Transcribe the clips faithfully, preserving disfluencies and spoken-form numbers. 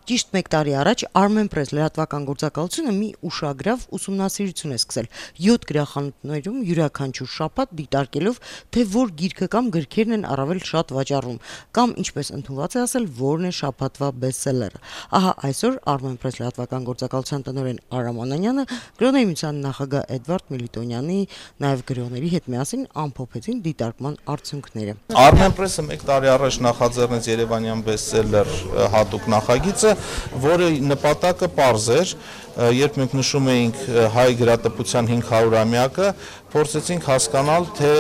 Ճիշտ մեկ տարի առաջ Armenpress լրատվական գործակալությունը մի ուշագրավ ուսումնասիրություն է սկսել յոթ գրախանութներում յուրաքանչյուր շաբաթ դիտարկելով, թե որ գիրքը կամ գրքերն են առավել շատ վաճառվում, կամ ինչպես ընդունված է ասել, որն է շաբաթվա բեսթսելերը։ Ահա այսօր Armenpress լրատվական գործակալության տնօրեն Արամ Անանյանը գրողների միության նախագահ Էդվարդ Միլիտոնյանի նաև գրողների հետ միասին ամփոփեցին դիտարկման արդյունքները։ Armenpress-ը մեկ տարի առաջ նախաձեռնեց Երևանյան բեսթսելեր հատուկ նախագիծը, որը նպատակը պարզ էր, երբ մենք նշում էինք հայ գրատպության հինգ հարյուրամյակը, փորձեցինք հասկանալ, թե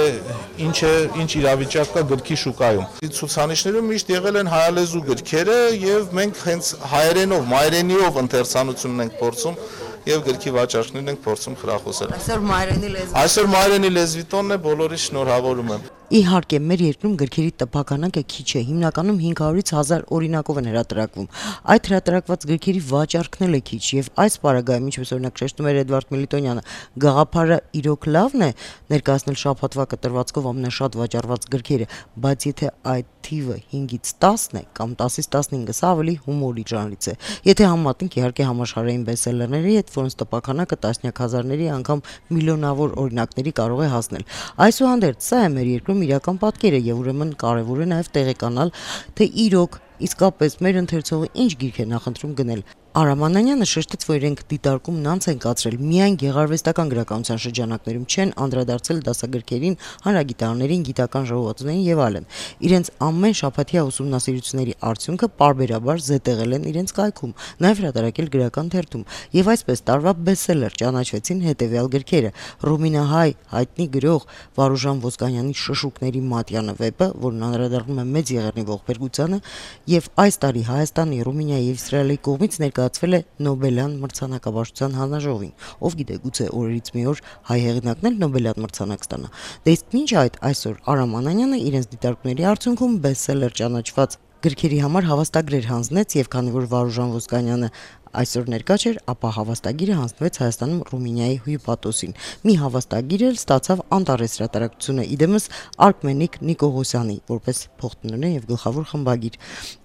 ինչ է, ինչ իրավիճակ կա գրքի շուկայում։ Ցուցանիշներում միշտ եղել են հայալեզու գրքերը եւ մենք հենց հայերենով, մայրենիով ընթերցանությունն ենք փորձում եւ գրքի վաճառքներն ենք փորձում խրախուսել։ Այսօր մայրենի լեզվի Այսօր մայրենի լեզվի տոնն է, բոլորիս շնորհավորում եմ։ Իհարկե, մեր երկրում գրքերի տպականակը քիչ է, հիմնականում հինգ հարյուրից հազար օրինակով են հրատարակվում։ Այդ հրատարակված գրքերի վաճառքն էլ է քիչ եւ այս պարագայում, ինչպես օրինակ շեշտում էր Էդվարդ Միլիտոնյանը, գաղափարը իրոք լավն է ներկայացնել շաբաթվա կտրվածքով ամենաշատ վաճառված գրքերը, բայց եթե այդ թիվը հինգից տասն է կամ տասից տասնհինգը, սա ավելի հումորի ժանրից է։ Եթե համեմատենք իհարկե համաշխարհային բեսթսելերների հետ, որոնց տպականակը տասնյակ հազարների, անգամ միլիոնավոր օրինակների կարող է հասնել։ Այսուհանդերձ, սա է մեր երկրում իրական պատկերը եւ ուրեմն կարեւոր է նաեւ տեղեկանալ, թե իրոք իսկապես մեր ընթերցողը ինչ գիրք է նախընտրում գնել։ Արամ Անանյանը շեշտեց, որ իրենք դիտարկումն անց են կացրել միայն գեղարվեստական գրականության շրջանակներում, չեն անդրադարձել դասագրքերին, հանրագիտարներին, գիտական ժողովածուներին եւ այլն։ Իրենց ամեն շաբաթյա ուսումնասիրությունների արդյունքը պարբերաբար զետեղել են իրենց կայքում, նաեւ հրատարակել գրական թերթում, եւ այսպես տարվա բեսթսելեր ճանաչվեցին հետեւյալ գրքերը. Ռումինահայ հայտնի գրող Վարուժան Ոսկանյանի Շշուկների մատյանը վեպը, որն անդրադառնում է Մեծ Եղեռնի ողբերգությանը, եւ այս տարի Հայաստանի, Ռումինիայի եւ Իսրայելի կողմից ներկայացվել է Նոբելյան մրցանակաբաշխության հանրաժողովին։ Ով գիտե, գուցե օրերից մի օր հայ հեղինակն էլ Նոբելյան մրցանակ ստանա։ Դե իսկ մինչ այդ այսօր Արամ Անանյանը իրենց դիտարկումների արդյունքում բեսթսելեր ճանաչված գրքերի համար հավաստագրեր հանձնեց եւ քանի որ Վարուժան Ոսկանյանը այսօր ներկա չէր, ապա հավաստագիրը հանձնվեց Հայաստանում Ռումինիայի հյուպատոսին։ Մի հավաստագիր էլ ստացավ Անտարես հրատարակությունը, իդեմս Արքմենիկ Նիկողոսյանի, որպես փոխտնօրեն եւ գլխավոր խմբագիր։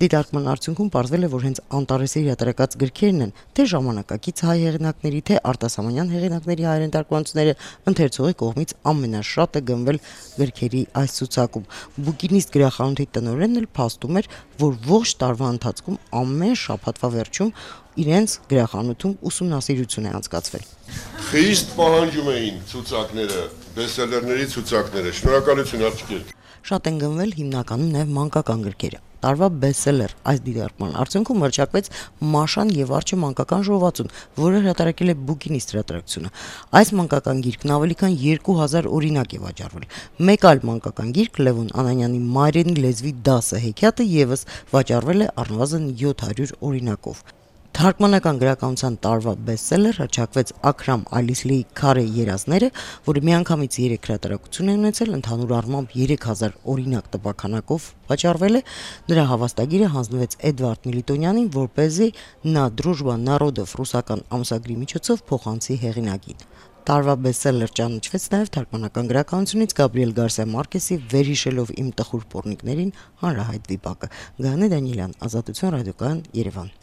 Դիտարկման արդյունքում պարզվել է, որ հենց Անտարեսի հրատարակած գրքերն են թե ժամանակակից հայ հեղինակների, թե արտասահմանյան հեղինակների հայերեն թարգմանությունները ընթերցողի կողմից ամենաշատը գնվել գրքերի այս ցուցակում։ Բուկինիստ գրախանութի տնօրենն էլ փաստում էր, որ ողջ տարվա ընթացքում ամեն շաբաթվա վերջում իրենց գրախանութում ուսումնասիրություն է անցկացվել։ Խիստ պահանջում էին ցուցակները, բեսթսելերների ցուցակները, շնորհակալություն աղջիկներ։ Շատ են գնվել հիմնականում նաև մանկական գրքերը։ Տարվա բեսթսելեր այս դիտարկման արդյունքում հռչակվեց Մաշան եւ Արջը մանկական ժողովածուն, որը հրատարակել է Բուկինիստ հրատարակությունը։ Այս մանկական գիրքն ավելի քան երկու հազար օրինակ է վաճառվել։ Մեկ այլ մանկական գիրք Լևոն Անանյանի Մայրենի լեզվի դասը հեքիաթը եւս վաճառվել է առնվազն յոթ հարյուր օրինակով։ Թարգմանական գրականության տարվա բեսթսելեր հռչակվեց Աքրամ Ալիսլիի Քարե երազները, որը միանգամից երեք հրատարակություն է ունեցել, ընդհանուր առմամբ երեք հազար օրինակ տպականակով վաճառվել է։ Նրա հավաստագիրը հանձնվեց Էդվարդ Միլիտոնյանին, որպեսզի նա Դրուժբա Նարոդով ռուսական ամսագրի միջոցով փոխանցի հեղինակին։ Տարվա բեսթսելեր ճանաչվեց նաև թարգմանական գրականությունից Գաբրիել Գարսիա Մարկեսի Վերհիշելով իմ տխուր պոռնիկներին հանրահայտ վիպակը։ Գայանե Դանիելյան, Ազատություն ռադիոկայան, Երևան։